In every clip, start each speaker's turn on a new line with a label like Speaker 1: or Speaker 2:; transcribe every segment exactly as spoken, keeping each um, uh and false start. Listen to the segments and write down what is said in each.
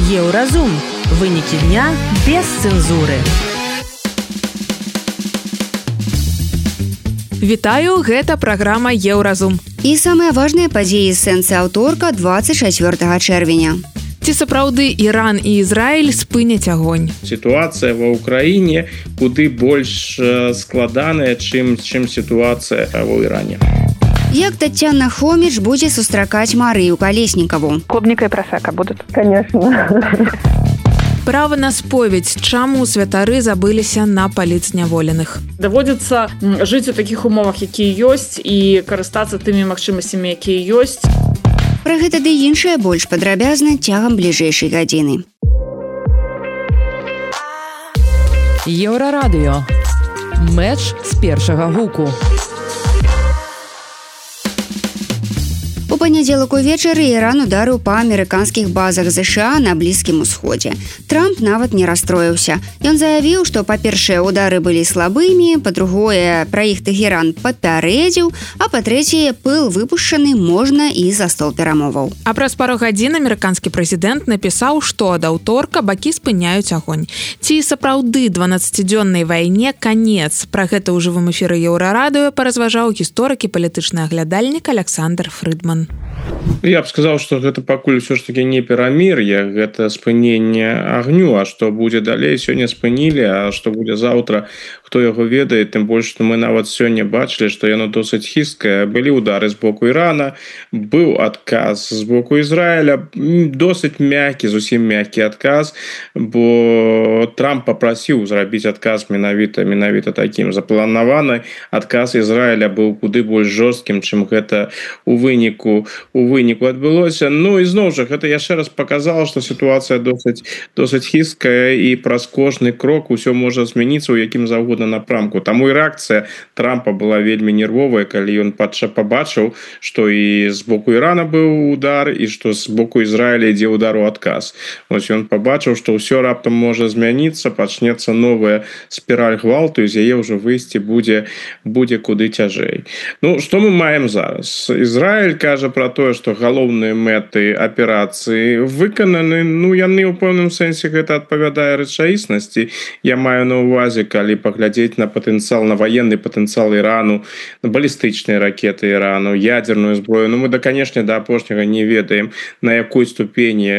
Speaker 1: Еўразум. Вынікі дня без цэнзуры.
Speaker 2: Вітаю, гэта праграма Еўразум.
Speaker 3: І самыя важныя падзеі з сэнсы аўторка двадцать чацвёртага чэрвеня.
Speaker 2: Ці сапраўды Іран і Ізраіль спыняць агонь?
Speaker 4: Сітуацыя ва ўкраіне куды больш складаная, чым, чым сітуацыя ва Іране.
Speaker 3: Як Таццяна Хоміч будзе сустракаць Марыю Калеснікаву?
Speaker 5: Клубника и просека будут.
Speaker 6: Конечно.
Speaker 2: Права на споведь. Чаму святары забыліся на паліцняволеных?
Speaker 5: Даводзіцца жыць у такіх умовах, якія ёсць, і карыстацца тымі магчымасцямі, якія ёсць.
Speaker 3: Пра гэта ды іншае больш падрабязна цягам бліжэйшай гадзіны.
Speaker 1: Еўрарадыё. Мэч з першага гуку.
Speaker 3: У панядзелак увечары Іран ударыў па амерыканскіх базах ЗША на Блізкім Усходзе. Трамп нават не расстроіўся. Ён заявіў, што, па-першае, удары былі слабымі, па-другое, пра іх Тэхеран папярэдзіў, а па-трэцяе, пыл выпушчаны можна і за стол перамоваў.
Speaker 2: А праз пару гадзін амерыканскі прэзідэнт напісаў, што ад аўторка бакі спыняюць агонь. Ці сапраўды дванаццацідзённай вайне канец? Пра гэта ў жывым эфіры Еўрарадыё паразважаў гісторык і палітычны аглядальнік Александр Фрыдман.
Speaker 4: Я б сказаў, што гэта пакуль ўсё ж такі не перамір'е, гэта спыненне агню, а што будзе далей, сёння спынілі, а што будзе заўтра, хто яго ведае, тым больш, што мы нават сёння бачылі, што яно досыць хісткае. Былі ўдары з боку Ірана, быў адказ з боку Ізраіля, досыць мяккі, зусім мяккі адказ, бо Трамп папрасіў зрабіць адказ менавіта, менавіта такім. Запланаваны адказ Ізраіля быў куды больш жорсткім, чым гэта у выніку у выніку адбылося. Ну і зноў жа, гэта яшчэ раз паказала, што сітуацыя досыць, досыць хісткая і праз кожны крок усё можа змяніцца ў якім заўгодна напрамку. Таму і рэакцыя Трампа была вельмі нервовая, калі ён пабачыў, што і з боку Ірана быў удар, і што з боку Ізраіля ідзе удар у адказ. Вось ён пабачыў, што ўсё раптам можа змяніцца, пачнецца новая спіраль гвалту, і з яе ўжо выйсці будзе, будзе куды цяжэй. Ну, што мы маем зараз? Ізраіль кажа пра тое, што галоўныя мэты аперацыі выкананы, ну, яны ў пэўным сэнсе гэта адпавядае рэчаіснасці. Я маю на ўвазе, калі паглядзець на патэнцыял, на ваенны патэнцыял Ірану, на балістычныя ракеты Ірану, ядерную зброю. Ну, мы, да, канешне, да апошняга не ведаем, на якой ступені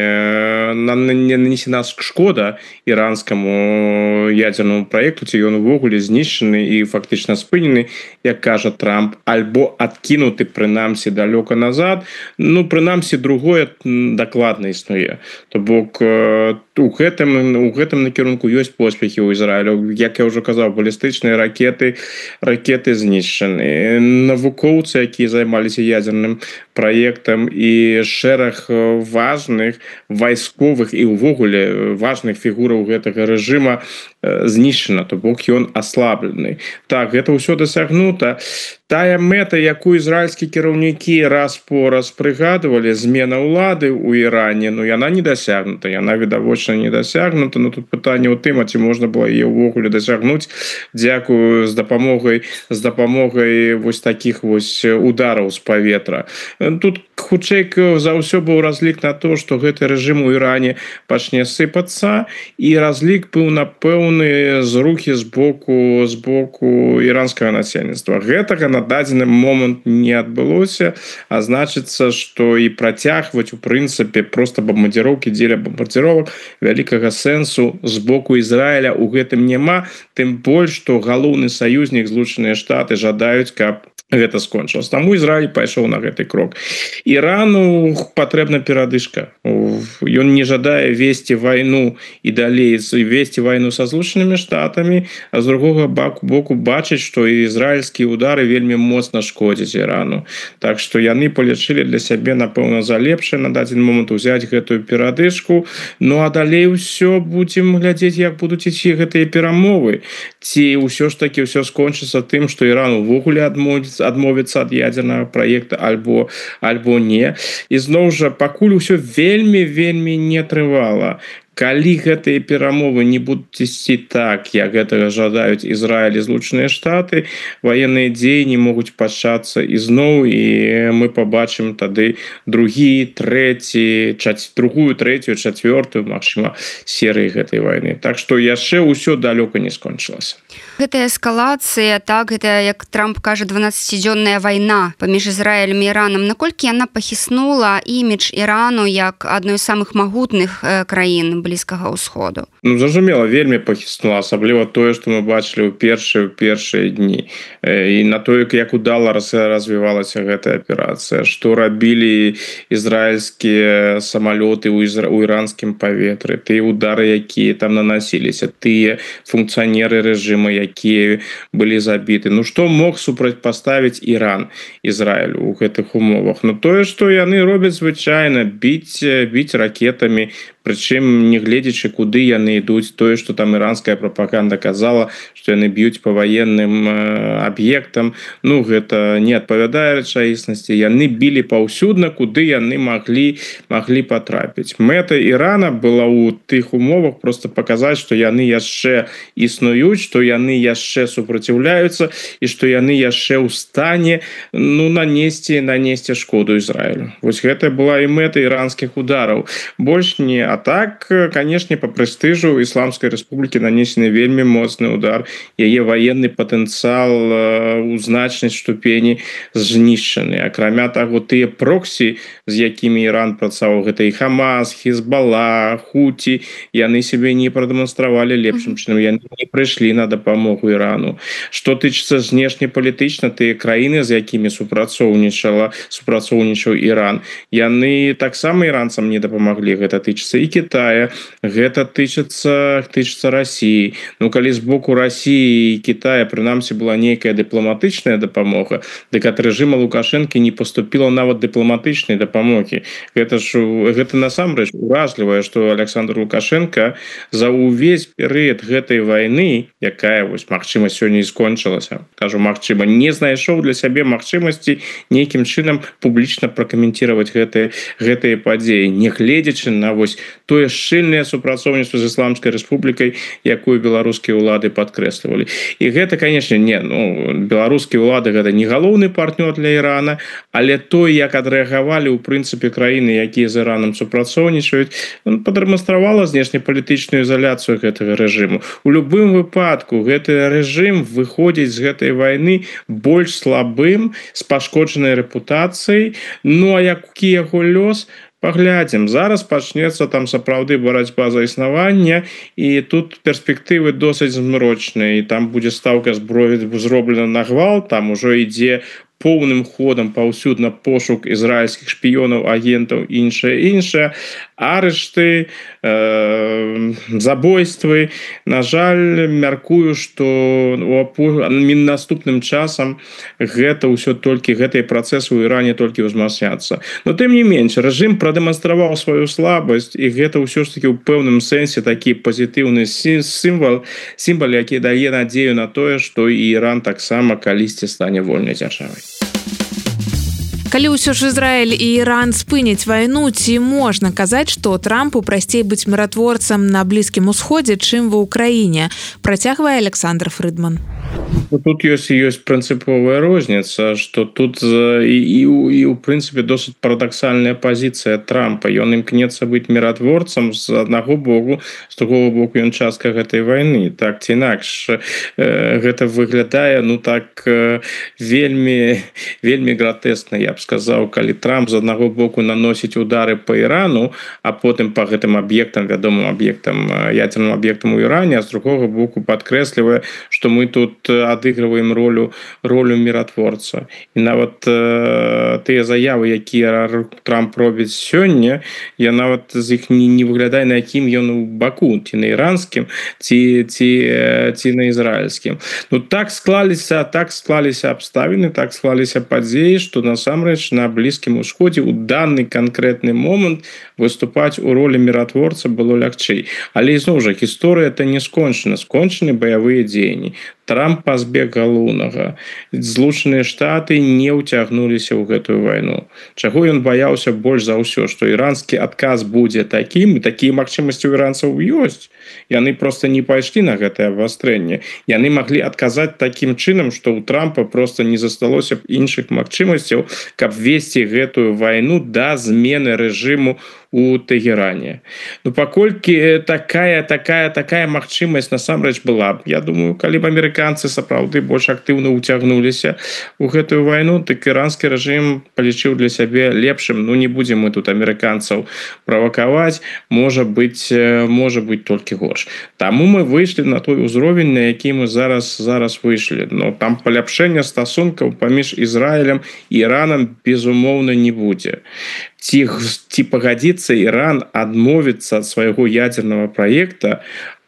Speaker 4: нанесена шкода іранскаму ядернаму праекту, ці ён увогуле знішчаны і фактычна спынены, як кажа Трамп, альбо адкінуты, прынамсі, далёка назад. Ну, прынамсі, другое дакладна існуе. То бок, у гэтым, у гэтым накірунку ёсць поспехі ў Ізраілю. Як я ўжо казаў, балістычныя ракеты, ракеты знішчаны. Навукоўцы, якія займаліся ядерным праектам, і шэраг важных вайсковых і ўвогуле важных фігураў гэтага рэжыма знішчана, то бок ён аслаблены. Так, гэта ўсё дасягнута. Тая мэта, якую ізраільскія кіраўнікі раз по раз прыгадывалі, змена ўлады ў Іране, ну, яна не дасягнута, яна відавочна не дасягнута, но тут пытанне ў тым, а ці можна было яе ўвогуле дасягнуць, дзякую з дапамогай, з дапамогай вось такіх вось удараў з паветра. Тут хутчэй за ўсё быў разлік на то, што гэты рэжым у Іране пачне сыпацца, і разлік быў на пэўны зрухі з боку, з боку іранскага насельніцтва. Гэтага на дадзены момант не адбылося, а значыцца, што і працягваць у прынцыпе проста бамбардзіроўкі дзеля бамбардзіровак вялікага сэнсу з боку Ізраіля ў гэтым няма, тым больш, што галоўны саюзнік Злучаныя Штаты жадаюць, каб гэта скончылася. Таму Ізраіль пайшоў на гэты крок. Ірану патрэбна перадышка. Ён не жадае весці вайну і далей весці вайну са Злучанымі Штатамі, а з другога боку бачыць, што ізраільскія удары вельмі моцна шкодзяць Ірану. Так што яны палічылі для сябе, напэўна, за лепшае на дадзены момант узяць гэтую перадышку. Ну а далей ўсё будзем глядзець, як будуць ісці гэтыя перамовы. Ці ўсё ж такі ўсё скончыцца тым, што Іран увогуле адмовіцца адмовіцца ад ядернага праекта альбо альбо не. І зноў жа, пакуль усё вельмі вельмі не трывала. калі гэтыя перамовы не будуць ісці так, як гэтага жадаюць Ізраіль і Злучаныя Штаты, военныя дзеянні могуць пачацца ізноў, і мы побачым тады другі, трэці, чаць, другую, трэцюю, чацвёртую, магчыма, серыі гэтай вайны. Так што яшчэ ўсё далёка не скончылася.
Speaker 3: Гэтая эскалацыя, так, гэта, як Трамп кажа, дванаццацідзённая вайна паміж Ізраілем і Іранам. Наколькі яна пахіснула імідж Ірану як адной з самых магутных э, краін Блізкага ўсходу?
Speaker 4: Ну, зразумела, вельмі пахіснула, асабліва тое, што мы бачылі ў першыя, ў першыя дні. Э, і на тое, як удала развівалася гэтая аперацыя, што рабілі ізраільскія самалёты ў, ізра... ў іранскім паветры, тыя удары, якія там наносіліся, тыя функцыянеры рэжыму, якія былі забіты. Ну, што мог супрацьпаставіць Іран Ізраілю ў гэтых умовах? Ну, тое, што яны робяць звычайна, біць, біць ракетамі, прычым не гледзячы, куды яны ідуць. Тое, што там іранская прапаганда казала, што яны б'юць па ваенным аб'ектам, ну, гэта не адпавядае рэчаіснасці. Яны білі паўсюдна, куды яны маглі, маглі патрапіць. Мэта Ірана была ў тых умовах проста паказаць, што яны яшчэ існуюць, што яны яшчэ супраціўляюцца і што яны яшчэ ў стане, ну, нанесці, нанесці шкоду Ізраілю. Вось гэта была і мэта іранскіх удараў. Больш не. А так, канешне, па прэстыжу Ісламскай Рэспублікі нанесены вельмі моцны удар. Яе военны патэнцыял у значнай ступені знішчаны. Акрамя таго, тыя проксі, з якімі Іран працаваў, гэта і Хамас, Хізбалла, Хуті, яны сябе не прадэманстравалі лепшым чынам, яны не прыйшлі на дапамогу Ірану. Што тычыцца знешнепалітычна, тыя краіны, з якімі супрацоўнічала, супрацоўнічаў Іран, яны таксама іранцам не дапамаглі. Гэта тычыцца і Китая, гэта тычыцца, тычыцца России. Ну, калі з боку России і Китая, прынамсі, была нейкая дыпламатычная дапамога, дык ад рэжыма Лукашэнкі не поступила нават дыпламатычнай дапамогі. Гэта ж, гэта насамрэч уражлівае, што Александр Лукашенко за ўвесь перыяд гэтай вайны, якая, вось, магчыма, сёння і скончылася, кажу, магчыма, не знайшоў для сябе магчымасці нейкім чынам публічна пракаментировать гэтыя, гэтыя падзеі, не гледзячы на вось тое шчыльнае супрацоўніцтва з Ісламскай Рэспублікай, якую беларускія ўлады падкрэслівалі. І гэта, канешне, не, ну, беларускія ўлады гэта не галоўны партнёр для Ірана, але то, як адрэагавалі ў прынцыпе краіны, якія з Іранам супрацоўнічаюць, падрэманстравала знешнепалітычную ізаляцыю гэтага рэжыму. У любым выпадку гэты рэжым выходзіць з гэтай вайны больш слабым, з пашкоджанай рэпутацыяй. Ну, а які яго лёс? Паглядзім, зараз пачнецца там сапраўды барацьба за існаванне, і тут перспектывы досыць змрочныя, і там будзе стаўка зброі зроблена на гвалт, там ужо ідзе поўным ходам паўсюдна пошук ізраільскіх шпіёнаў, агентаў, іншае, іншае, арышты, э, забойствы. На жаль, мяркую, што наступным часам гэта ўсё толькі, гэтыя працэсы ў Іране толькі ўзмацняцца. Но тым не менш, рэжым прадэманстраваў сваю слабасць, і гэта ўсё ж такі ў пэўным сэнсе такі пазітыўны сімвал, сімвал, які дае надзею на тое, што і Іран таксама калісьці стане вольнай дзяржавай.
Speaker 2: Калі ўсё ж Ізраіль і Іран спыняць вайну, ці можна казаць, што Трампу прасцей быць міратворцам на Блізкім Усходзе, чым ва ўкраіне, працягвае Александр Фрыдман.
Speaker 4: Тут ёсць ёсць прынцыповая розніца, што тут і, і, і у прынцыпе досыць парадаксальная пазіцыя Трампа. Ён імкнецца быць міратворцам з аднаго боку, з другого боку ён частка гэтай вайны. Так ці інакш, э, гэта выглядае, ну так, э, вельмі, вельмі гратэсна, я б сказаў, калі Трамп з аднаго боку наносіць удары па Ірану, а потым па гэтым аб'ектам, вядомым аб'ектам, ядзерным аб'ектам у Іране, а з другого боку падкрэслівае, што мы тут адыгрываем ролю ролю міратворца. І нават э, тыя заявы, якія Трамп робіць сёння, я нават з іх не, не выглядае, на якім ён у баку, ці на іранскім, ці, ці, ці на ізраільскім. Ну так склаліся, так склаліся абставіны, так склаліся падзеі, што насамрэч на Блізкім Усходзе ў данный канкрэтны момант выступаць у ролі міратворца было лягчэй. Але ізноў жа, гісторыя это не скончана, скончаны баявыя дзеянні. Трамп Трамп пазбег галоўнага. Злучаныя Штаты не ўцягнуліся ў гэтую вайну. Чаго ён баяўся больш за ўсё, што іранскі адказ будзе такім, і такія магчымасці ў іранцаў ёсць. Яны проста не пайшлі на гэтае абвастрэнне. Яны маглі адказаць такім чынам, што ў Трампа проста не засталося б іншых магчымасцяў, каб весці гэтую вайну да змены рэжыму у Тегеране. Ну, паколькі такая, такая, такая магчымасць насамрэч была, я думаю, калі б амерыканцы сапраўды больш актыўна ўцягнуліся ў гэтую вайну, так іранскі рэжым палічыў для сябе лепшым. Ну, не будзем мы тут амерыканцаў правакаваць, можа быць, можа быць толькі горш. Таму мы выйшлі на той узровень, на які мы зараз зараз выйшлі. Но там паляпшэння стасункаў паміж Ізраілем і Іранам безумоўна не будзе. Ці, ці пагадзіцца Іран адмовіцца ад свайго ядзернага праекта,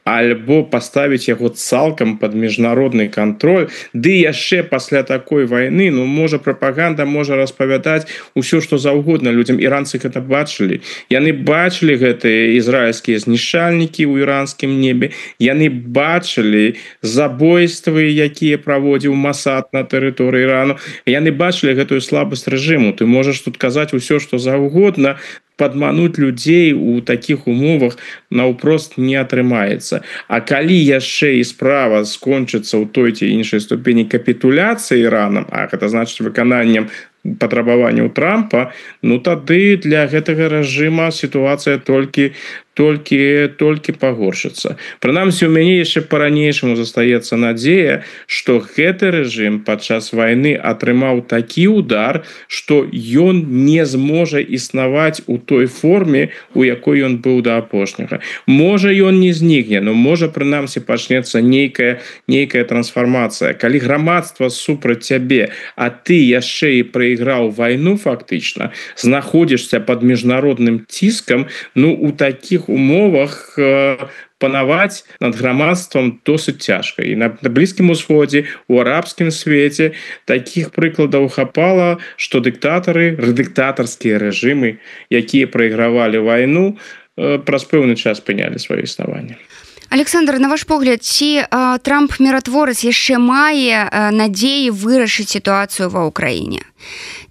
Speaker 4: альбо паставіць яго цалкам пад міжнародны кантроль, ды яшчэ пасля такой вайны, ну, можа, прапаганда можа распавядаць усё, што заўгодна людзям. Іранцы гэта бачылі. Яны бачылі гэтыя ізраільскія знішчальнікі ў іранскім небе. Яны бачылі забойствы, якія праводзіў Масад на тэрыторыі Ірану. Яны бачылі гэтую слабасць рэжыму. Ты можаш тут казаць усё, што заўгодна, падмануць людзей у такіх умовах наўпрост не атрымаецца. А калі яшчэ і справа скончыцца ў той ці іншай ступені капітуляцыі Іранам, а гэта значыць выкананнем патрабаванняў Трампа, ну тады для гэтага рэжыма сітуацыя толькі толькі толькі пагоршыцца. Прынамсі, у мяне яшчэ па-ранейшаму застаецца надзея, што гэты рэжым падчас вайны атрымаў такі удар, што ён не зможа існаваць у той форме, у якой ён быў да апошняга. Можа, ён не знікне, но можа, прынамсі, пачнецца нейкая нейкая трансфармацыя. Калі грамадства супраць цябе, а ты яшчэ і прайграў вайну фактычна, знаходзішся пад міжнародным ціскам, ну у такіх умовах э, панаваць над грамадствам досыць цяжка. І на, на Блізкім Усходзе, у арабскім свеце такіх прыкладаў хапала, што дыктатары, дыктатарскія рэжымы, якія прайгравалі вайну, э, праз пэўны час спынялі сваё існаванне.
Speaker 3: Александр, на ваш погляд, ці а, Трамп-міратворац яшчэ мае а, надзеі вырашыць сітуацыю ва ўкраіне?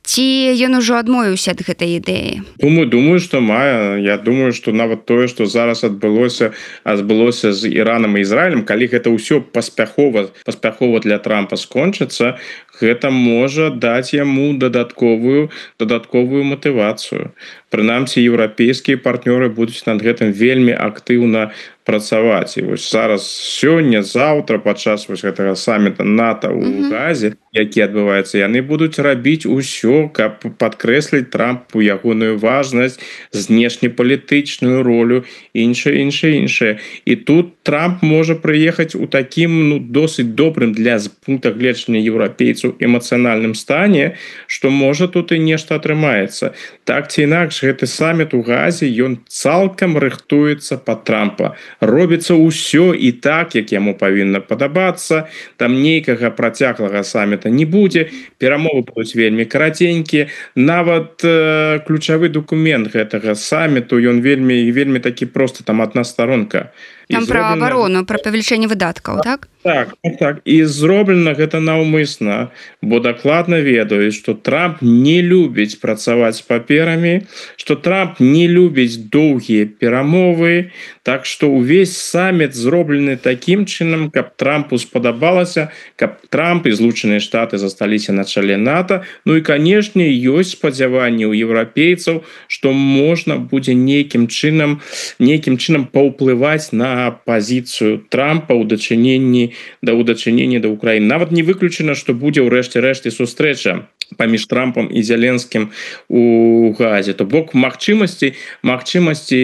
Speaker 3: Ці ён ужо адмовіўся ад гэтай ідэі?
Speaker 4: Думаю, думаю, што мае. Я думаю, што нават тое, што зараз адбылося, адбылося з Іранам і Ізраілем, калі гэта ўсё паспяхова, паспяхова для Трампа скончыцца, гэта можа даць яму дадатковую дадатковую матывацыю. Прынамсі, еўрапейскія партнёры будуць над гэтым вельмі актыўна працаваць. І вось зараз сёння, заўтра падчас вось гэтага саміта НАТО ў Газе, які адбываецца, яны будуць рабіць усё, каб падкрэсліць Трампу ягоную важнасць, знешнепалітычную ролю, іншае, іншае, іншае. І тут Трамп можа прыехаць у такім, ну, досыць добрым для пункта гледжання еўрапейцаў эмацыянальным стане, што можа тут і нешта атрымаецца. Так ці інакш, гэты саміт у Газе, ён цалкам рыхтуецца пад Трампа. Робіцца ўсё і так, як яму павінна падабацца. Там нейкага працяглага саміта не будзе. Перамовы будуць вельмі караценькія. Нават э, ключавы дакумент гэтага саміту, ён вельмі вельмі такі проста, там адна старонка.
Speaker 3: Там пра абарону, пра павелічэнне выдаткаў, так?
Speaker 4: Так, так, так. І зроблена гэта наўмысна, бо дакладна ведаюць, што Трамп не любіць працаваць з паперамі, што Трамп не любіць доўгія перамовы, так што ўвесь саміт зроблены такім чынам, каб Трампу спадабалася, каб Трамп і Злучаныя Штаты засталіся на чале НАТО. Ну і, канешне, ёсць спадзяванні ў еўрапейцаў, што можна будзе нейкім чынам, нейкім чынам паўплываць на пазіцыю Трампа ў дачыненні да ўдачынення да Украіны. Нават не выключана, што будзе ў рэшце рэшце сустрэча паміж Трампам і Зеленскім у Газе. То бок магчымасці, магчымасці,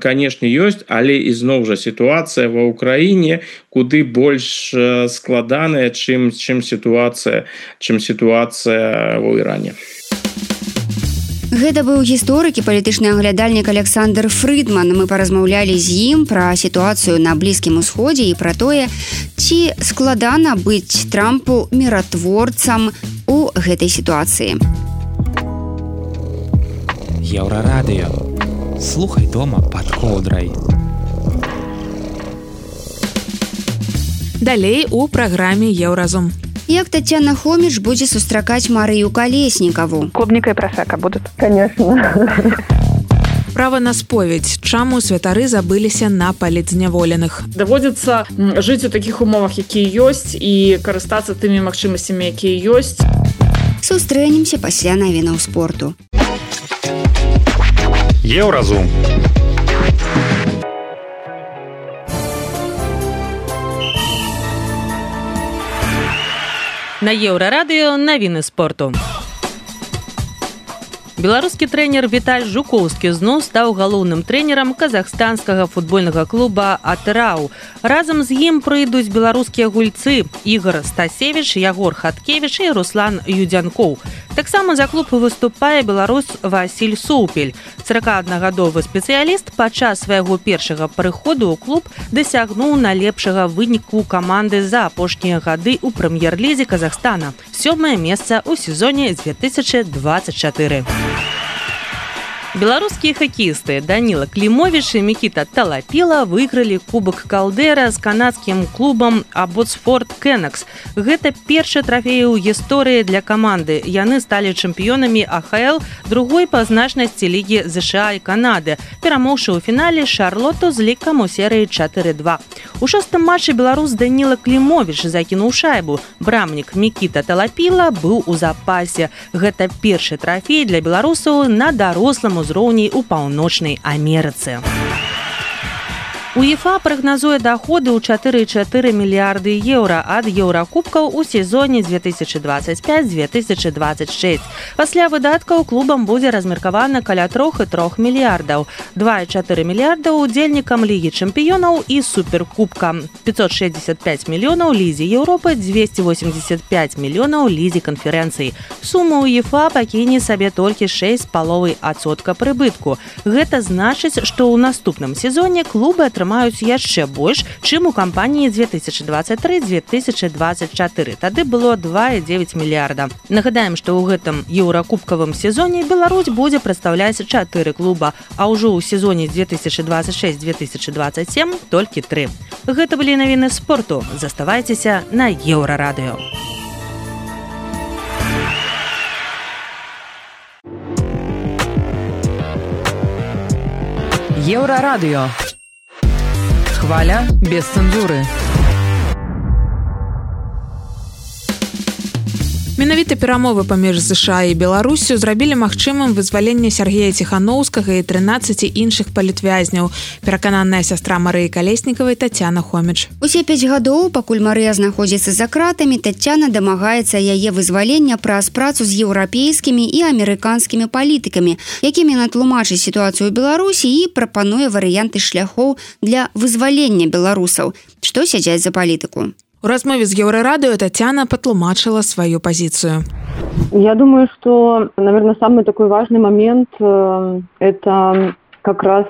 Speaker 4: канешне, ёсць, але ізноў жа сітуацыя ва Ўкраіне куды больш складаная, чым, чым сітуацыя, чым сітуацыя ва Іране.
Speaker 3: Гэта быў гісторык і палітычны аглядальнік Александр Фрыдман. Мы паразмаўлялі з ім пра сітуацыю на Блізкім Усходзе і пра тое, ці складана быць Трампу міратворцам у гэтай сітуацыі.
Speaker 6: Еўрарадыё. Слухай дома пад коўдрай.
Speaker 2: Далей у праграме «Еўразум».
Speaker 3: Як Татьяна Хомич будзе сустракаць Марыю Калеснікаву?
Speaker 7: Клубника и просека будут.
Speaker 8: Конечно.
Speaker 2: Права на споведь. Чаму святары забыліся на паліцзняволеных?
Speaker 5: Даводзіцца жыць у такіх умовах, якія ёсць, і карыстацца тымі магчымасцямі, якія ёсць.
Speaker 3: Сустрэнемся пасля навінаў спорту.
Speaker 9: Еўразум.
Speaker 1: На Еўрарадыё навіны спорту. Беларускі трэнер Віталь Жукоўскі зноў стаў галоўным трэнерам казахстанскага футбольнага клуба «Атырау». Разам з ім прыйдуць беларускія гульцы Ігор Стасевіч, Ягор Хаткевіч і Руслан Юдзянкоў. Таксама за клуб выступае беларус Васіль Соўпель. сорокааднагадовы спецыяліст падчас свайго першага прыходу ў клуб дасягнуў найлепшага выніку каманды за апошнія гады ў прэм'ер-лізе Казахстана. Сёмае месца ў сезоне две тысячи двадцать четыре. Беларускія хакеісты Даніла Клімовіч і Мікіта Талапіла выйгралі кубак Калдэра з канадскім клубам Абботсфорд Кеннекс. Гэта першы трафей у гісторыі для каманды. Яны сталі чэмпіёнамі А Х Л другой па значнасці лігі ЗША і Канады, перамоўшы ў фінале Шарлоту з лікам у серыі чатыры два. У шостым матчы беларус Даніла Клімовіч закінуў шайбу. Брамнік Мікіта Талапіла быў у запасе. Гэта першы трафей для беларусаў на дарослым узроўні ў Паўночнай Амерыцы. УЕФА прагназуе даходы ў чатыры і чатыры мільярды еўра ад еўракубкаў у сезоне две тысячи двадцать пять - две тысячи двадцать шесть. Пасля выдаткаў клубам будзе размеркавана каля трох і трох мільярдаў. два і чатыры мільярда удзельнікам Лігі чэмпіёнаў і суперкубка. пятьсот шестьдесят пять мільёнаў Лізе Еўропы, двести восемьдесят пять мільёнаў Лізе канферэнцыі. Сума УЕФА пакіне сабе толькі шэсць з паловай адсотка прыбытку. Гэта значыць, што ў наступным сезоне клубы атрымаюць маюць яшчэ больш, чым у кампаніі две тысячи двадцать три - две тысячи двадцать четыре. Тады было два і дзевяць мільярда. Нагадаем, што ў гэтым еўракубкавым сезоне Беларусь будзе прадстаўляць чатыры клуба, а ўжо ў сезоне две тысячи двадцать шесть - две тысячи двадцать семь толькі тры. Гэта былі навіны спорту. Заставайцеся на Еўрарадыё.
Speaker 10: Еўрарадыё. Хваля без цэнзуры.
Speaker 2: Менавіта перамовы паміж ЗША і Беларуссю зрабілі магчымым вызваленне Сергея Ціханаўскага і трынаццаці іншых палітвязняў, перакананая сястра Марыі Калеснікавай Татьяна Хомич.
Speaker 3: Усе пяць гадоў, пакуль Марыя знаходзіцца за кратамі, Татьяна дамагаецца яе вызвалення праз працу з еўрапейскімі і амерыканскімі палітыкамі, якімі натлумачыць сітуацыю ў Беларусі і прапануе варыянты шляхоў для вызвалення беларусаў. Што сядзяць за палітыку?
Speaker 2: У размове з Еўрарадыё Татьяна патлумачыла свою позицию.
Speaker 8: Я думаю, что, наверное, самый такой важный момент э, – это как раз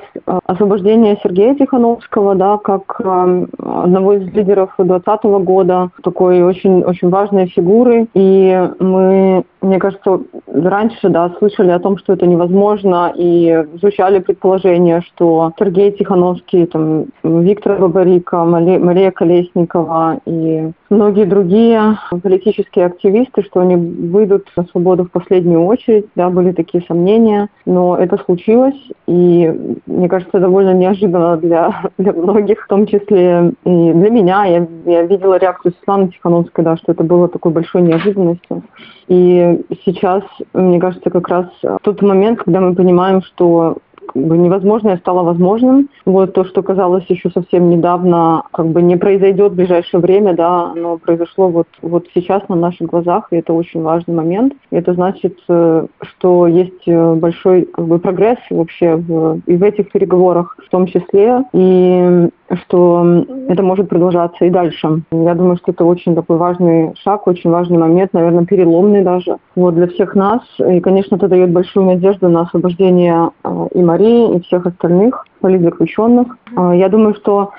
Speaker 8: освобождение Сергея Тихановского, да, как э, одного из лидеров двадцатого года, такой очень, очень важной фигуры. И мы, мне кажется, раньше, да, слышали о том, что это невозможно, и звучали предположения, что Сергей Тихановский, там, Виктор Бабарика, Мария Колесникова и многие другие политические активисты, что они выйдут на свободу в последнюю очередь, да, были такие сомнения, но это случилось, и мне кажется, довольно неожиданно для, для многих, в том числе и для меня. Я, я видела реакцию Светланы Тихановской, да, что это было такой большой неожиданностью. И сейчас, мне кажется, как раз тот момент, когда мы понимаем, что как бы невозможное стало возможным. Вот то, что казалось еще совсем недавно, как бы не произойдет в ближайшее время, да, оно произошло вот, вот сейчас на наших глазах, и это очень важный момент. И это значит, что есть большой как бы прогресс вообще в, и в этих переговорах в том числе, и что это может продолжаться и дальше. Я думаю, что это очень такой важный шаг, очень важный момент, наверное, переломный даже вот для всех нас. И, конечно, это дает большую надежду на освобождение и Марии, и всех остальных политзаключенных. Я думаю, что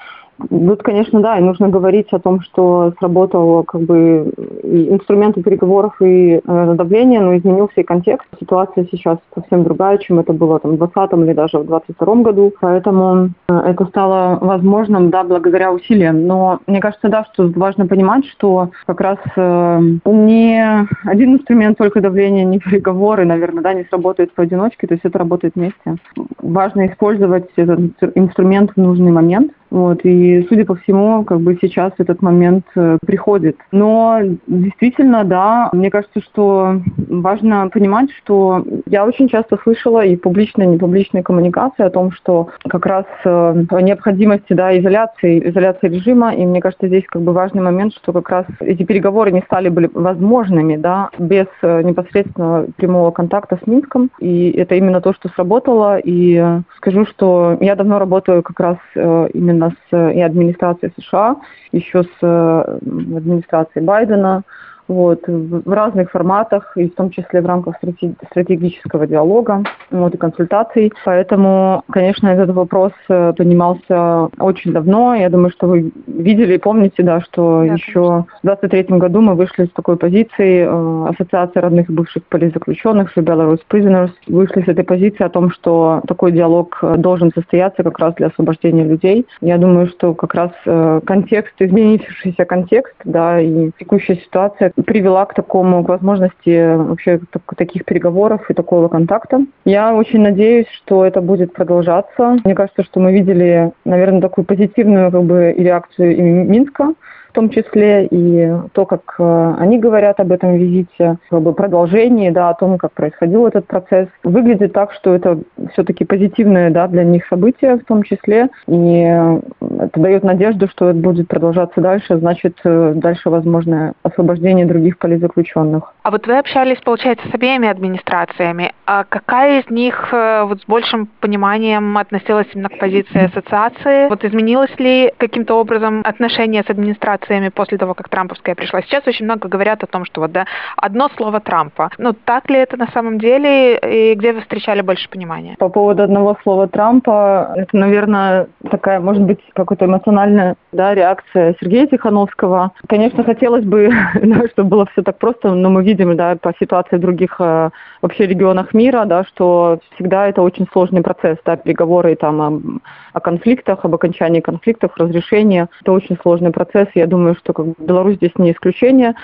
Speaker 8: Тут, конечно, да, и нужно говорить о том, что сработал как бы и инструменты переговоров и э, давления, но изменился и контекст. Ситуация сейчас совсем другая, чем это было там, в двадцатом или даже в двадцать втором году, поэтому э, это стало возможным, да, благодаря усилиям. Но мне кажется, да, что важно понимать, что как раз э, не один инструмент только давления, не переговоры, наверное, да, не сработает поодиночке, то есть это работает вместе. Важно использовать этот инструмент в нужный момент. Вот, и, судя по всему, как бы сейчас этот момент э, приходит. Но действительно, да, мне кажется, что важно понимать, что я очень часто слышала и в публичной, и непубличной коммуникации о том, что как раз э, необходимости, да, изоляции, изоляции режима, и мне кажется, здесь как бы важный момент, что как раз эти переговоры не стали были возможными, да, без э, непосредственного прямого контакта с Минском, и это именно то, что сработало, и э, скажу, что я давно работаю как раз э, именно с и администрацией США, еще с э, администрацией Байдена, вот, в разных форматах, и в том числе в рамках стратегического диалога, вот, и консультаций. Поэтому, конечно, этот вопрос поднимался очень давно. Я думаю, что вы видели и помните, да, что да, еще конечно. В двадцать третьем году мы вышли с такой позиции э, Ассоциации родных и бывших политзаключенных, Belarus Prisoners, вышли с этой позиции о том, что такой диалог должен состояться как раз для освобождения людей. Я думаю, что как раз э, контекст, изменившийся контекст, да, и текущая ситуация привела к такому, к возможности вообще таких переговоров и такого контакта. Я очень надеюсь, что это будет продолжаться. Мне кажется, что мы видели, наверное, такую позитивную как бы реакцию и Минска, в том числе, и то, как они говорят об этом визите, как бы продолжении, да, о том, как происходил этот процесс. Выглядит так, что это все-таки позитивное, да, для них событие в том числе, и это дает надежду, что это будет продолжаться дальше, значит, дальше возможно освобождение других политзаключенных.
Speaker 2: А вот вы общались, получается, с обеими администрациями. А какая из них вот с большим пониманием относилась именно к позиции ассоциации? Вот изменилось ли каким-то образом отношение с администрациями после того, как трамповская пришла? Сейчас очень много говорят о том, что вот, да, одно слово Трампа. Ну, так ли это на самом деле? И где вы встречали больше понимания?
Speaker 8: По поводу одного слова Трампа, это, наверное, такая, может быть, какая-то эмоциональная, да, реакция Сергея Тихановского. Конечно, хотелось бы, да, чтобы было все так просто, но мы видим, да, по ситуации в других э, вообще регионах мира, да, что всегда это очень сложный процесс, да, переговоры там о, о конфликтах, об окончании конфликтов, разрешении. Это очень сложный процесс. Я думаю, что как бы, Беларусь здесь не исключение,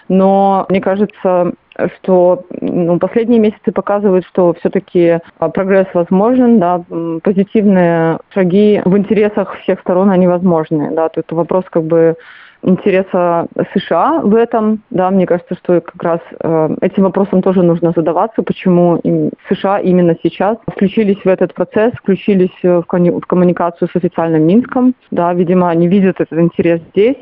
Speaker 8: но мне кажется, что ну, последние месяцы показывают, что все-таки прогресс возможен, да, позитивные шаги в интересах всех сторон, они возможны, да, то это вопрос как бы интереса США в этом, да, мне кажется, что как раз э, этим вопросом тоже нужно задаваться, почему им, США именно сейчас включились в этот процесс, включились в, кони- в коммуникацию с официальным Минском, да, видимо, они видят этот интерес здесь.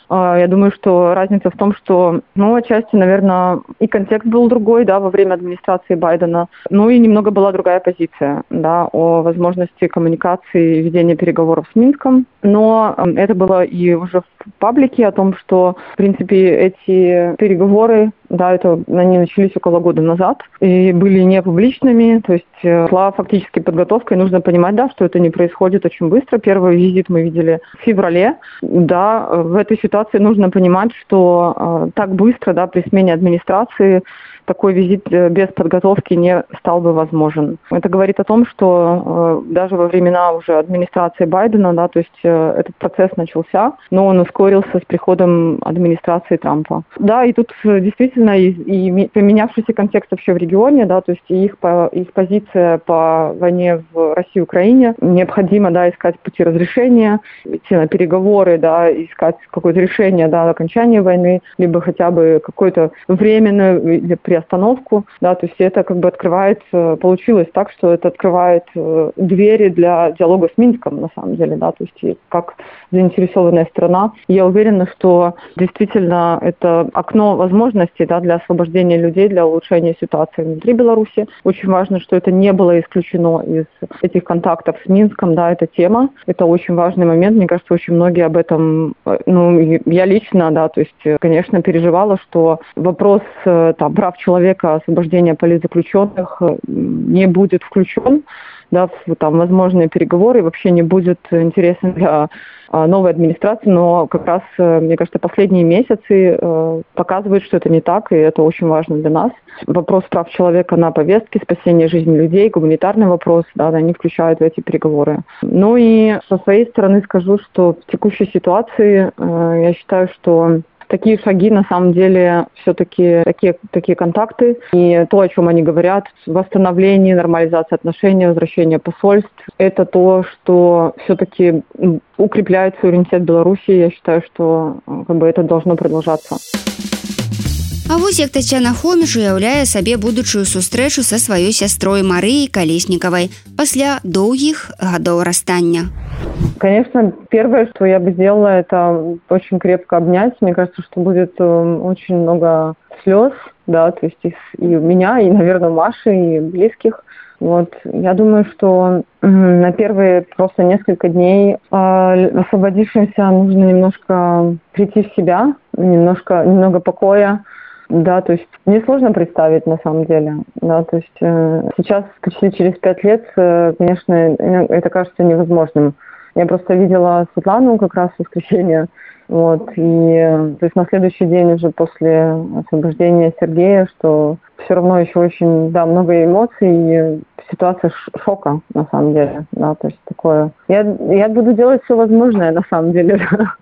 Speaker 8: Я думаю, что разница в том, что, ну, отчасти, наверное, и контекст был другой, да, во время администрации Байдена, ну и немного была другая позиция, да, о возможности коммуникации и ведения переговоров с Минском. Но это было и уже в паблике о том, что, в принципе, эти переговоры, да, это они начались около года назад и были не публичными, то есть шла фактически подготовка, и нужно понимать, да, что это не происходит очень быстро. Первый визит мы видели в феврале, да, в этой ситуации нужно понимать, что э, так быстро, да, при смене администрации такой визит без подготовки не стал бы возможен. Это говорит о том, что э, даже во времена уже администрации Байдена, да, то есть э, этот процесс начался, но он ускорился с приходом администрации Трампа. Да, и тут действительно и, и поменявшийся контекст вообще в регионе, да, то есть их, по, их позиция по войне в России и Украине, необходимо, да, искать пути разрешения, идти на переговоры, да, искать какое-то решение, да, окончания войны, либо хотя бы какое-то временное или приостановку, да, то есть это как бы открывает, получилось так, что это открывает двери для диалога с Минском, на самом деле, да, то есть как заинтересованная страна. Я уверена, что действительно это окно возможностей, да, для освобождения людей, для улучшения ситуации внутри Беларуси. Очень важно, что это не было исключено из этих контактов с Минском, да, эта тема. Это очень важный момент. Мне кажется, очень многие об этом, ну, я лично, да, то есть, конечно, переживала, что вопрос там, прав человека, освобождения политзаключенных не будет включен. да, в там, возможные переговоры, вообще не будет интересен для новой администрации, но как раз, мне кажется, последние месяцы показывают, что это не так, и это очень важно для нас. Вопрос прав человека на повестке, спасение жизни людей, гуманитарный вопрос, да, они включают в эти переговоры. Ну и со своей стороны скажу, что в текущей ситуации я считаю, что такие шаги, на самом деле, все-таки такие, такие контакты. И то, о чем они говорят, восстановление, нормализация отношений, возвращение посольств, это то, что все-таки укрепляет суверенитет Беларуси. Я считаю, что как бы, это должно продолжаться.
Speaker 3: А вось як Тацяна Хоміш уяўляе сабе будучую сустрэчу са сваёй сястрой Марыяй Колесниковой пасля доўгіх гадоў расстання.
Speaker 8: Конечно, первое, что я бы сделала, это очень крепко обнять. Мне кажется, что будет очень много слез, да, то есть и у меня, и, наверное, у Маши, и близких. Вот. Я думаю, что на первые просто несколько дней освободившимся нужно немножко прийти в себя, немножко, немного покоя. Да, то есть мне сложно представить на самом деле. Да, то есть э, сейчас, почти через пять лет, э, конечно, это кажется невозможным. Я просто видела Светлану как раз в воскресенье. Вот, и э, то есть на следующий день уже после освобождения Сергея, что все равно еще очень, да, много эмоций и ситуация шока, на самом деле. Да, то есть такое. Я, я буду делать все возможное, на самом деле.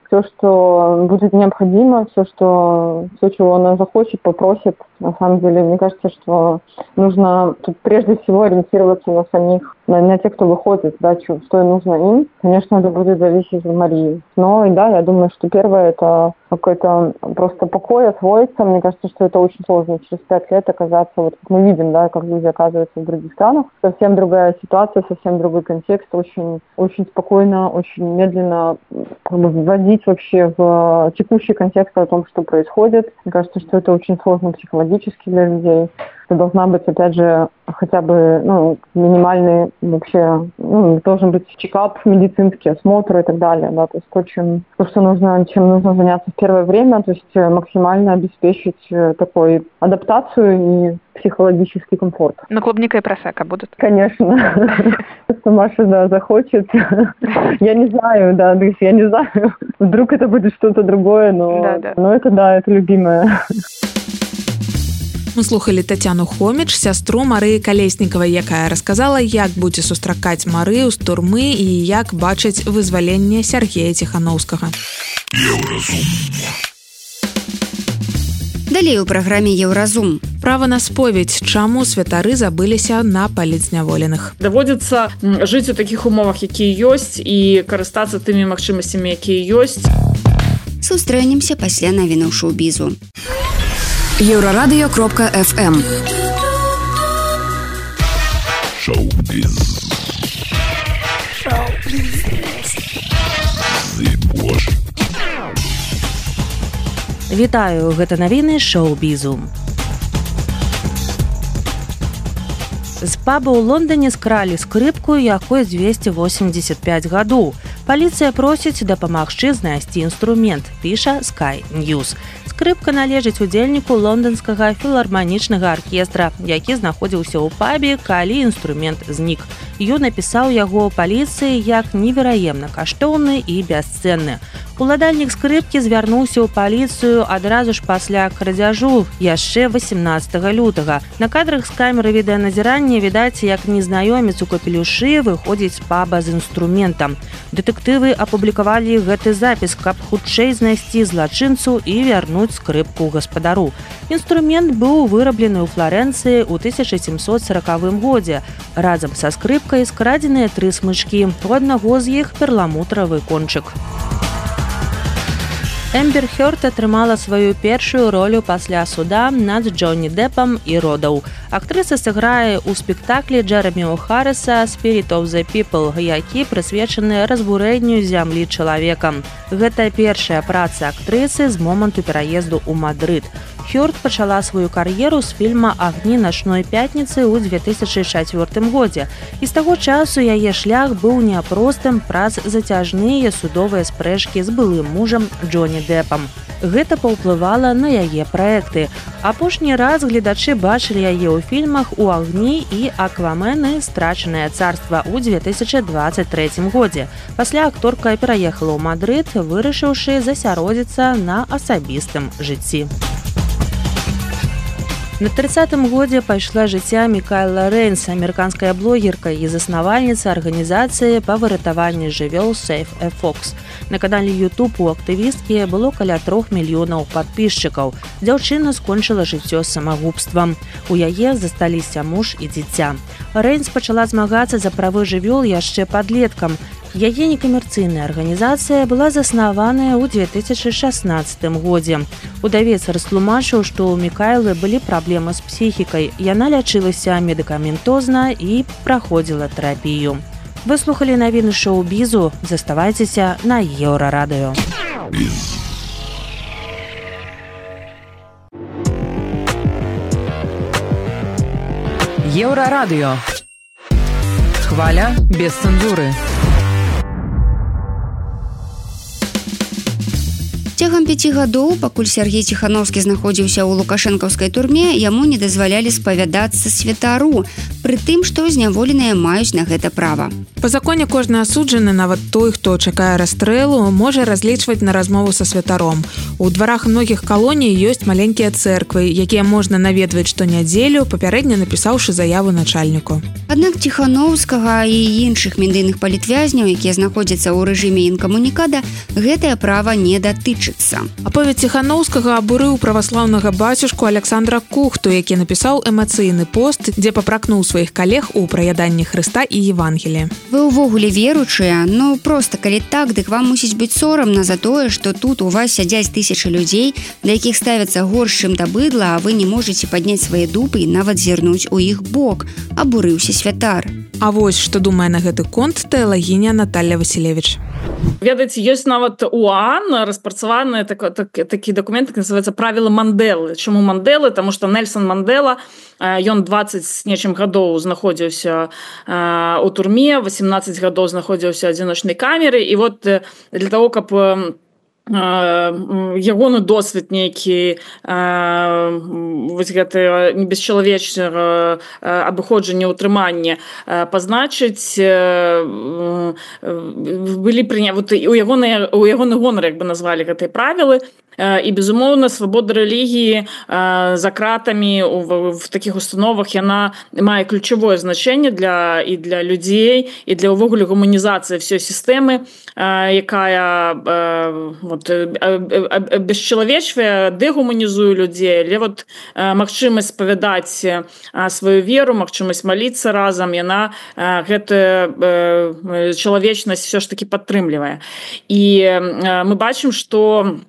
Speaker 8: Все, что будет необходимо, все, что, все, чего она захочет, попросит. На самом деле, мне кажется, что нужно тут прежде всего ориентироваться на самих, на, на тех, кто выходит, да, что, что нужно им. Конечно, это будет зависеть от Марии. Но, и да, я думаю, что первое, это какой-то просто покой, освоиться. Мне кажется, что это очень сложно. Через пять лет оказаться, вот как мы видим, да, как люди оказываются в других странах. Совсем другая ситуация, совсем другой контекст. Очень, очень спокойно, очень медленно как бы, вводить вообще в текущий контекст о том, что происходит. Мне кажется, что это очень сложно психологически для людей. Это должна быть, опять же, хотя бы ну, минимальный вообще, ну, должен быть чекап, медицинский осмотр и так далее. Да, то есть то, чем, то, что нужно, чем нужно заняться в первое время, то есть максимально обеспечить такой адаптацию и психологический комфорт.
Speaker 2: Но клубника и просека будут?
Speaker 8: Конечно. Если Маша, да, захочет. Я не знаю, да, то есть я не знаю. Вдруг это будет что-то другое, но, да, да. но это, да, это любимое.
Speaker 2: Мы слухали Тацяну Хоміч, сястру Марыі Колесниковой, якая расказала, як будзе сустракаць Марыю з турмы і як бачыць вызваленне Сергея Тихановскага.
Speaker 3: Далей у праграме Еўразум.
Speaker 2: Права на споведь. Чаму святары забыліся на паліцняволеных?
Speaker 5: Даводзіцца жыць у такіх умовах, якія ёсць, і карыстацца тымі магчымасцямі, якія ёсць.
Speaker 3: Сустрэнемся пасля навінаў шоу-бізу.
Speaker 10: Еўрарадыё кропка эф эм.
Speaker 7: Шоу-біз. Шоу-біз. Зыбош.
Speaker 1: Вітаю, гэта навіны шоу-бізу. З паба ў Лондоне скралі скрыпку, якой дзвесце восемьдесят пять гадоў. Паліцыя просіць дапамагчы знайсці інструмент, піша Sky News. Скрыпка належыць удзельніку лонданскага філарманічнага аркестра, які знаходзіўся ў пабе, калі інструмент знік. Ён напісаў яго паліцыі як невераемна каштоўны і бясцэнны. Уладальнік скрыпкі звярнуўся ў паліцыю адразу ж пасля крадзяжу яшчэ восемнадцатага лютага. На кадрах з камеры відэаназірання відаць, як незнаёмец у капелюшы выходзіць з паба з інструментам. Дэтэктывы апублікавалі гэты запіс, каб хутчэй знайсці злачынцу і вярнуць скрыпку гаспадару. Інструмент быў выраблены ў Фларэнцыі ў тысяча сямсот сорокавым годзе. Разам са скрыпкай скрадзеныя тры смычкі. У аднаго з іх перламутравы кончык. Эмбер Хёрд атрымала сваю першую ролю пасля суда над Джонні Деппам і родаў. Актрыса сыграе ў спектаклі Джэрамі О'Харриса «Spirit of the People», які прысвечаны разбурэнню зямлі чалавекам. Гэта першая праца актрысы з моманту пераезду ў Мадрыд. Хёрд пачала сваю кар'еру з фільма «Агні начной пятніцы» ў две тысячы чацвёртым годзе. І з таго часу яе шлях быў няпростым праз зацяжныя судовыя спрэчкі з былым мужам Джонні Дэпам. Гэта паўплывала на яе праекты. Апошні раз гледачы бачылі яе ў фільмах «У агні» і «Аквамен» і «Страчанае царства» ў две тысячы дваццаць трэцім годзе. Пасля акторка пераехала ў Мадрыд, вырашыўшы засяродзіцца на асабістым жыцці. На тридцатым годзе пайшла жыцця Мікайла Рэйнс, амерыканская блогерка і заснавальніца арганізацыі па выратаванні жывёл Save a Fox. На канале YouTube у актывісткі было каля трох мільёнаў падпісчыкаў. Дзяўчына скончыла жыццё самагубствам. У яе засталіся муж і дзіця. Рэйнс пачала змагацца за правы жывёл яшчэ падлеткам. Яе некамерцыйная арганізацыя была заснаваная ў две тысячы шаснаццатым годзе. Удавец растлумачыў, што ў Мікайлы былі праблемы з псіхікай. Яна лячылася медыкаментозна і праходзіла тэрапію. Вы слухалі навіны шоу-бізу. Заставайцеся на Еўрарадыё.
Speaker 10: Еўрарадыё. Хваля без цэнзуры.
Speaker 3: Цягам пяці гадоў, пакуль Сергей Ціхановскі знаходзіўся ў лукашэнкаўскай турме, яму не дазвалялі спавядацца святару, пры тым, што зняволеныя маюць на гэта права.
Speaker 2: Па законе кожны асуджаны, нават той, хто чакае расстрэлу, можа разлічваць на размову са святаром. У дварах многіх калоній ёсць маленькія цэрквы, якія можна наведваць штонядзелю, папярэдне напісаўшы заяву начальніку.
Speaker 3: Аднак Ціхановскага і іншых медыйных палітвязняў, якія знаходзяцца ў рэжыме інкамунікада, гэтае права не датычыцца.
Speaker 2: Аповед Ціхановскага абурыў праваслаўнага бацюшку Александра Кухту, які напісаў эмацыйны пост, дзе папракнуў сваіх калег у праяданні Хрыста і Евангелія.
Speaker 3: Вы ўвогуле веруючыя, ну проста калі так, дык вам мусіць быць сорамна за тое, што тут у вас сядзяць тысячы людзей, да якіх ставяцца горш, чым да быдла, а вы не можаце падняць свае дупы і нават зірнуць у іх бок. Абурыўся святар.
Speaker 2: А вось што думае на гэты конт тэалагіня Наталья Васілевіч.
Speaker 5: Ведаеце, ёсць нават у ААН распрацаваны так, так, такі дакумент, які называецца правілы Мандэлы. Чаму Мандэлы? Таму што Нельсон Мандела, ён дваццаць з нечым гадоў знаходзіўся у турме, восемнадцаць гадоў знаходзіўся ў адзіночнай камеры, і вот для того, каб ягоны досвед нейкі вось гэта бесчалавечнага абыходжання ўтрымання пазначыць, былі прыня... вот, у ягоны, у ягоны гонар, як бы назвалі гэтыя правілы. І, безумоўна, свабода рэлігіі за кратамі в, в такіх установах яна мае ключавое значэнне для, і для людзей, і для ўвогуле гуманізацыі ўсёй сістэмы, якая вот, бесчалавечвае, дэгуманізуе людзей, але вот магчымасць спавядаць сваю веру, магчымасць маліцца разам, яна гэтую чалавечнасць все ж таки падтрымлівае. І мы бачым, што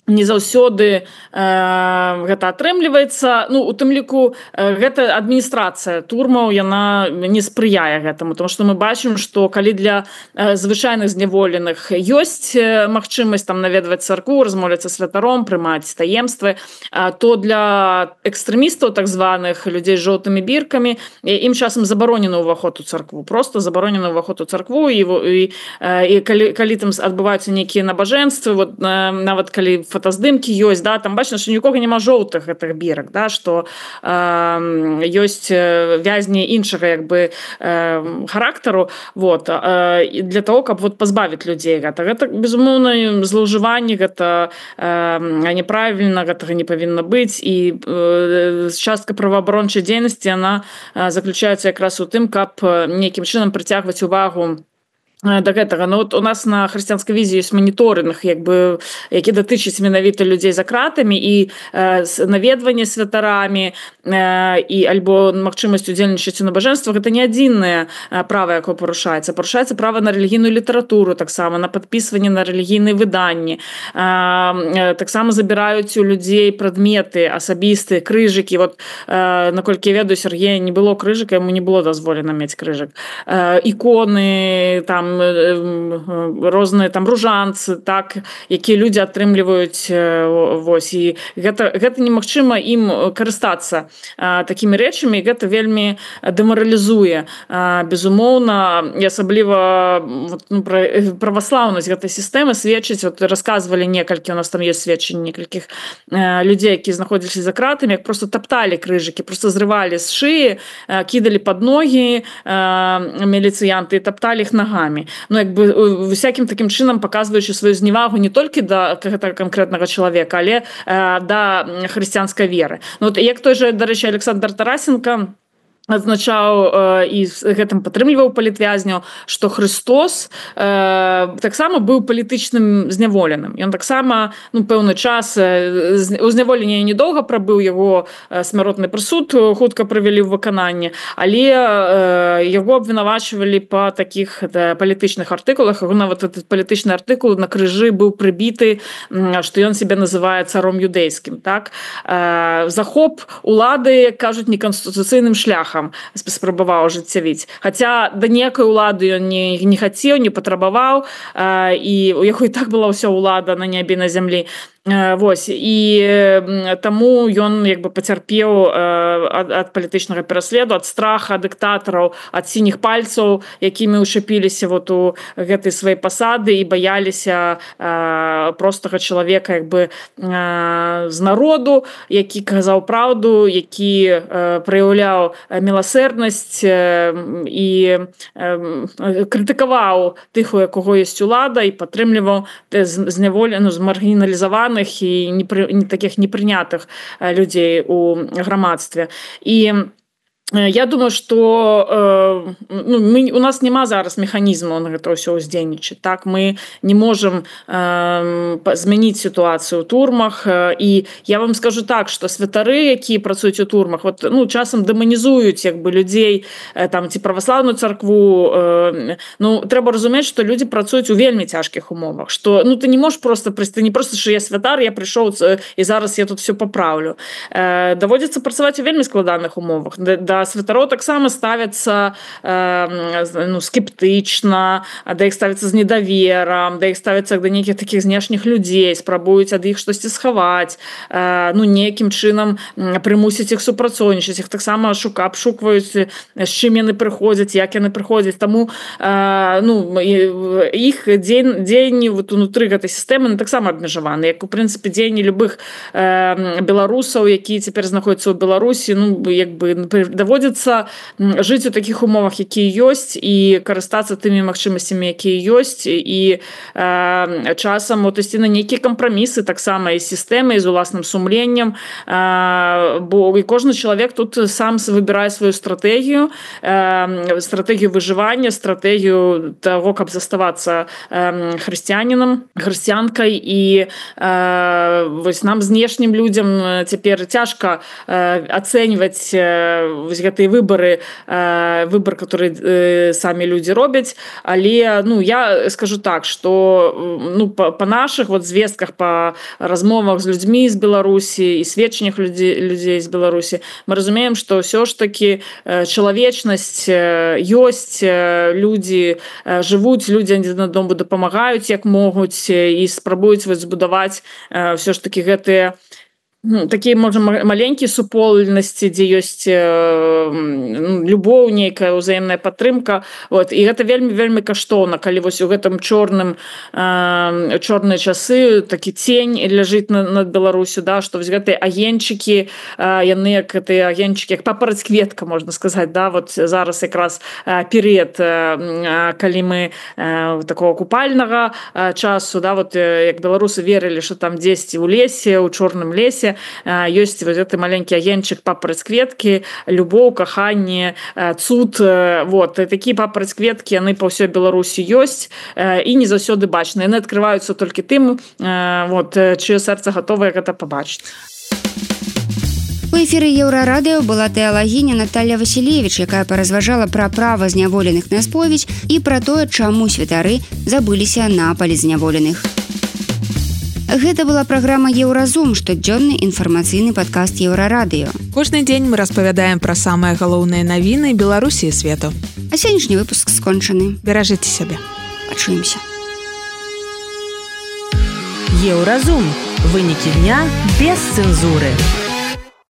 Speaker 5: не заўсёды э, гэта атрымліваецца. Ну, у тым ліку э, гэта адміністрацыя турмаў, яна не спрыяе гэтаму, тому што мы бачым, што калі для э, звычайных зняволеных ёсць э, магчымасць там наведваць царкву, размовляцца святаром, прымаць таемствы, э, то для экстрэмістаў так званых, людзей з жоўтымі біркамі, ім часам забаронены ўваход у царкву, просто забаронены ўваход у царкву, і, і, і калі, калі там адбываюцца нейкія набажэнствы, вот, э, нават калі фотаздымкі ёсць, да, там бачна, што нікога няма жоўтых гэтых бірак, да, што э, ёсць вязні іншага як бы э, характару, вот, э, для того, каб вот пазбавіць людзей гэта. Гэта, безумоўна, злоўжыванне, гэта э, неправільна, гэтага не павінна быць, і э, частка праваабарончай дзейнасці, яна э, заключаецца якраз у тым, каб нейкім чынам прыцягваць увагу да гэтага. Ну, вот у нас на хрысціянскай візі ёсць маніторынг, як бы, які датычыць менавіта людзей за кратамі, і э, наведванне святарамі, э, і альбо магчымасць удзельнічаць у набажэнствах. Гэта не адзінае права, якое парушаецца. Парушаецца права на рэлігійную літаратуру, таксама на падпісванне на рэлігійныя выданні. Э, таксама забіраюць у людзей прадметы асабістыя, крыжыкі. Вот, э, наколькі я ведаю, Сергея не было крыжыка, яму не было дазволена мець крыжык. Э, іконы, там, розныя там ружанцы, так, якія людзі атрымліваюць, вось, і гэта, гэта немагчыма ім карыстацца такімі рэчамі, і гэта вельмі дэмаралізуе. Безумоўна, і асабліва ну, праваслаўнасць гэтай сістэмы сведчыць, вот расказвалі некалькі, у нас там ёсць сведчанні некалькіх людзей, якія знаходзіліся за кратамі, як просто тапталі крыжыкі, просто зрывалі з шыі, кідалі пад ногі міліцыянты і тапталі іх нагамі. Ну, як бы, всякім такім чынам паказваючы сваю зневагу не толькі да гэтага канкрэтнага чалавека, але да хрысціянскай веры. Ну, вот, як той же, дарэчы, Александр Тарасенко адзначаў і гэтым падтрымліваў палітвязняў, што Христос э, таксама быў палітычным зняволеным. Ён таксама ну, пэўны час у зняволенні недоўга прабыў, яго смяротны прысуд хутка правялі ў выкананне, але э, яго абвінавачвалі па такіх да, палітычных артыкулах. Нават этот палітычны артыкул на крыжы быў прыбіты, што ён себе называе царом юдэйскім. Так? Э, захоп улады, кажуць, неканстытуцыйным шляхам спрабаваў ажыццявіць. Хаця да некай улады ён не, не хацеў, не патрабаваў, э, і у яго і так была ўся ўлада на небе, на зямлі. Вось, і таму ён як бы пацярпеў ад, ад палітычнага пераследу, ад страха дыктатараў, ад сініх пальцаў, якімі ўчапіліся вот у гэтай сваёй пасады і баяліся э, простага чалавека як бы э, з народу, які казаў праўду, які э, праяўляў міласэрнасць э, і э, крытыкаваў тых, у якога ёсць улада, і падтрымліваў зняволеных, змаргіналізаваных і не, не таких непрынятых людзей у грамадстве. І я думаю, что э, ну, мы, у нас няма зараз механізму на гэта ўсё ўздзейнічаць. Так, мы не можем э, змяніць сітуацыю ў турмах. І я вам скажу так, што святары, якія працуюць у турмах, вот, ну, часам дэманізуюць як бы людзей, э, там, ці праваслаўную царкву. Э, ну, трэба разумець, што людзі працуюць у вельмі цяжкіх умовах. Што, ну, ты не можаш просто, ты не просто, што я святар, я прыйшоў і зараз я тут все папраўлю. Э, даводзіцца працаваць у вельмі складаных умовах. Да святароў таксама ставяцца э, ну, скептычна, да іх ставяцца з недаверам, да іх ставяцца да нейкіх такіх знешніх людзей, спрабуюць ад іх штосьці схаваць, э, ну, нейкім чынам прымусіць іх супрацоўнічаць, іх таксама шука, абшукваюць, з чым яны прыходзяць, як яны прыходзяць. Таму э, ну, іх дзень, дзеянні вот, унутры гэтай сістэмы таксама абмежаваны, як у прынцыпе дзеянні любых э, беларусаў, якія цяпер знаходзяцца ў Беларусі, ну, як бы даводзіцца жыць у такіх умовах, якія ёсць, і карыстацца тымі магчымасцямі, якія ёсць, і э, часам вот, ісці на нейкія кампрамісы таксама і сістэмы, і з уласным сумленнем, э, бо і кожны чалавек тут сам выбірае сваю стратэгію, э, стратэгію выжывання, стратэгію таго, каб заставацца э, хрысціянінам, хрысціянкай, і э, вось нам знешнім людзям цяпер цяжка э, ацэньваць э, гэтыя выборы, э, выбор, который э, самі людзі робяць, але ну, я скажу так, что ну, по, по наших вот звестках, по размовах з людзьмі з Беларусі і сведчаннях людзей, людзей з Беларусі, мы разумеем, что ўсё ж таки э, чалавечнасць э, ёсць, э, людзі э, жывуць, людзі адзін аднаму дапамагаюць як могуць і спрабуюць вот, збудаваць э, ўсё ж таки гэтыя такія, можа, маленькія супольнасці, дзе ёсць э, любоў, нейкая ўзаемная падтрымка. Вот. І гэта вельмі-вельмі каштоўна, калі вось у гэтым чорным э, чорныя часы такі цень ляжыць над, над Беларусю, да, што вось гэтыя агеньчыкі, э, яны як гэтыя агеньчыкі, як папараць кветка, можна сказаць, да, вот зараз якраз э, перыяд, э, калі мы э, такого купальнага э, часу, да, вот, э, як беларусы верылі, што там дзесьці ў лесе, у чорным лесе ёсць вот гэты маленькі агеньчык папараць кветкі, любоў, каханне, цуд. Вот. Такія папараць кветкі, яны па ўсёй Беларусі ёсць і не заўсёды бачныя. Яны адкрываюцца толькі тым, вот, чыё сэрца гатовае гэта пабачыць.
Speaker 3: У эфіры Еўрарадыё была тэалагіня Наталья Васілевіч, якая паразважала пра права зняволеных на споведь і пра тое, чаму святары забыліся на палізняволеных. Гэта была праграма «Еўразум», штодзённы інфармацыйны падкаст Еўрарадыё.
Speaker 2: Кожны дзень мы распавядаем пра самыя галоўныя навіны Беларусі і свету.
Speaker 3: А сённяшні выпуск скончаны.
Speaker 2: Беражыце сябе.
Speaker 3: Пачуемся.
Speaker 1: Еўразум. Вынікі дня без цэнзуры.